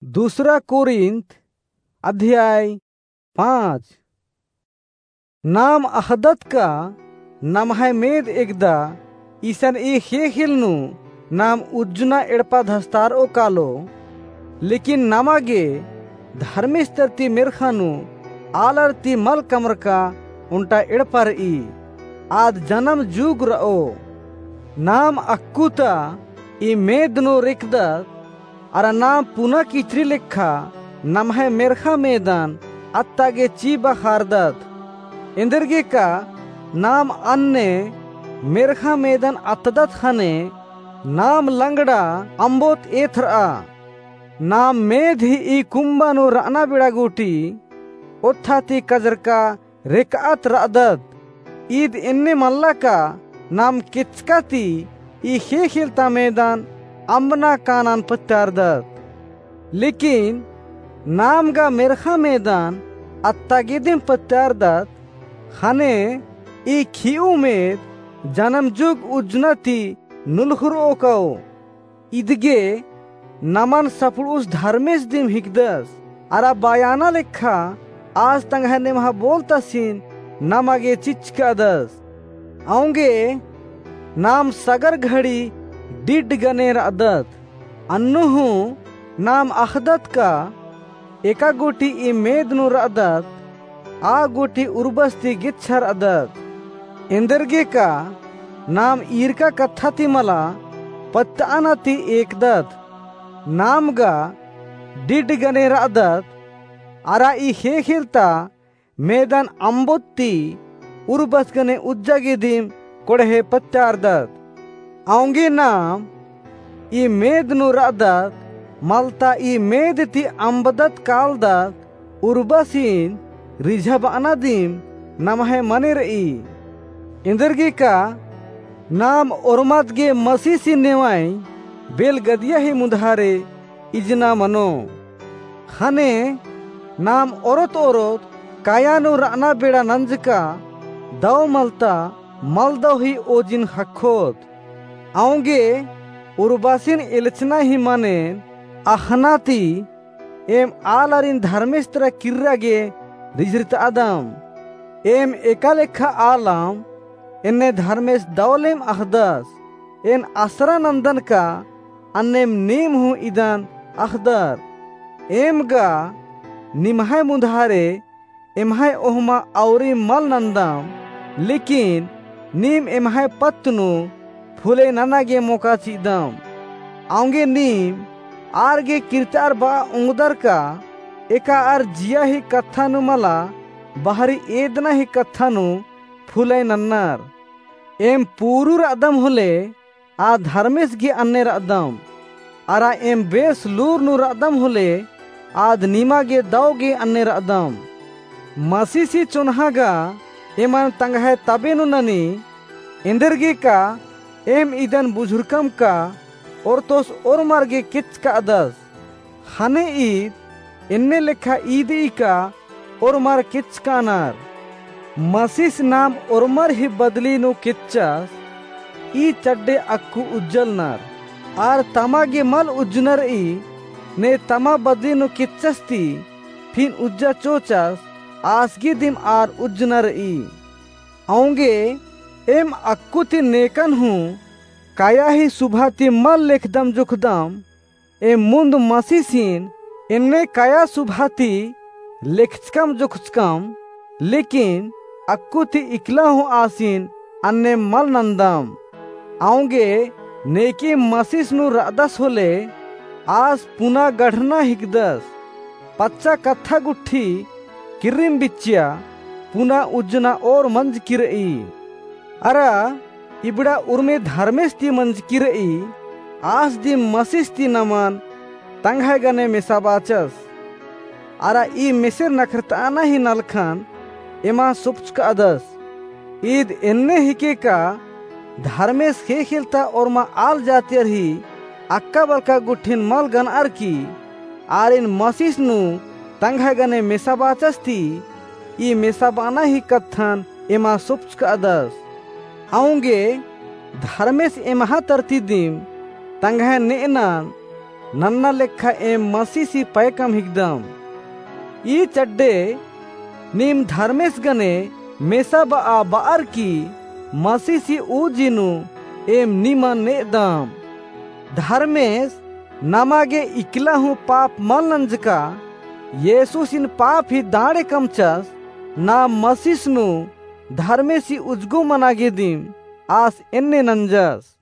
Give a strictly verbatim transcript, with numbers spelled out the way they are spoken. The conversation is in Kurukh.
दूसरा कोरिन्थ अध्याय पाँच। नाम अख़दत का नम्है मेद एकदा इसन ई ख़ेख़ेल नू नाम उज्जना एड़पा धस्तारओ कालो, लेकिन नमा गे धर्मेस तर ती मेर्ख़ा नू आलर ती मल कमरका ओन्टा एड़पा रई, आद जनम जुग रओ। नाम अक्कु ता ई मेद नू रेकदत, अरा नाम पुना किचरी लेखा नम्है मेर्ख़ा मेदन अत्ता गे ची बखारदत। एन्देरगेका नाम अन्ने मेर्ख़ा मेदन अत्तदत ख़ने नाम लंगड़ा अम्बोत एथरआ। नाम मेद ही ई कुम्बा नू रअना बेड़ा गूटी ओत्था ती कजरका रेकअत रअदत। ईद एन्ने मल्ला का नाम केचका ती ई ख़ेख़ेल ता मेदन अम्बना कानन पत्यारदत। लेकिन नाम गा मेर्ख़ा मेदन अत्ता गे दिम पत्यारदत, ख़ने ई खियु मेद जनम जुग उज्जना ती नुलख़ुरओ कओ। इदगे नमन सफुड़ुस धर्मेस दिम हिकदस, अरा बयाना लेखा आस तंग्है नेम्हा बोलतासिन नमा गे चिचकादस। औंगे नाम सगर घड़ी डिड गने रअदत। अन्नु हूँ नाम अख़दत का एका गूटी ई मेद नू रअदत, आ गूटी उर्बस ती गेच्छा रअदत। एन्देरगेका नाम ईरका कत्था ती मला पत्तअना ती एकदत। नाम गा डिड गने रअदत, अरा ई ख़ेख़ेल ता मेदन अम्बोत ती उर्बस गने उज्जा गे दिम कोड़हे पत्यारदत। औंगे नाम ई मेद नू रअदत, मलता ई मेद ती अम्बदत कालदत उर्बसिन रिझाबअना दिम नम्है मने रई। एन्देरगेका नाम ओर्मत गे मसीसिन नेवाई बेलगदिया ही मुधारे इजना मनो। ख़ने नाम ओरोत ओरोत काया नू रअना बेड़ा नंजका दव मलता मलदव ही ओजिन ख़क्खोत। औंगे उर्बासिन एलचना ही मनेन अख़ना ती एम आलारिन धर्मेस तरा किर्रा गे रिझरितआदम। एम एका लेखा आलम, एन्ने धर्मेस दवलेम अख़दस। एन असरा नन्दन का अन्नेम नीम हूँ इदन अख़दर। एम गा निम्है मुधारे एम्है ओहमा औरी मल नन्दम, लेकिन नीम एम्है पत्त नू फुले नना गे मोका चिदम। औंगे नीम आर गे किर्तार बआ ओंगदर का एका आर जिया ही कत्था नू मला बहरी एदना ही कत्था नू फुले नन्नर। एम पूरू रअदम होले आ धर्मेस गे अन्ने रअदम, अरा एम बेस लूर नू रअदम होले आद निमा गे दव गे अन्ने रअदम। मसीसी चोन्हा गा एमन तंग्है तबे नू ननी। एन्देरगेका एम इदन बुझुरकम का ओर्तोस ओर्मर गे केचकादस। ख़ने ईद एन्ने लेखा ईदई का ओर्मर केचकानर। मसीस नाम ओर्मर ही बदली नू केच्चस, ई चड्डे अक्कु उज्जलनर। आर तमा गे मल उज्जनर ई, ने तमा बदली नू केच्चस ती फिन उज्जा चोचस, आस गे दिम आर उज्जनर ई। औंगे एम अक्कु ती नेकन हूँ काया ही सुभा ती मल लेखदम जोखदम, एम मुन्द मसीसिन एन्ने काया सुभा ती लेखचकम जोखचकम, लेकिन अक्कु ती इकला हूँ आसिन अन्ने मल नन्दम। औंगे नेके मसीस नू रअदस होले आस पुना गढ़ना हिकदस। पच्चा कत्था गुट्ठी किर्रिम बिच्चिया पुना उज्जना ओर मंजकी रई। अरा इबड़ा उर्मी धर्मेस ती मंजकी रई, आस दिम मसीस ती नमन तंग्है गने मेसाबाचस। अरा ई मेसेर नखरतअना ही नलखन एमा सोपचकादस। ईद एन्ने हिके का धर्मेस ख़ेख़ेल ता ओर्मा आल जातियर ही अक्का बलका गुट्ठिन मल गनअर की आरिन मसीस नू तंग्है गने मेसाबाचस ती ई मेसाबाना ही कत्थन एमा सोपचकादस। औंगे धर्मेस एम्हा तरती दिम तंग्है नेअनन नन्ना लेखा एम मसीसी पैकम हिकदम। ई चड्डे नीम धर्मेस गने मेसाब'आ ब'अर की मसीसी उजी नू एम निमन ने'अदम। धर्मेस नमा गे इकला हूँ पाप मल नंजका, येसुसिन पाप ही दाड़े कमचस, नाम मसीस नू धर्मेसी उजगो मना गे दिम आस एन्ने नंजस।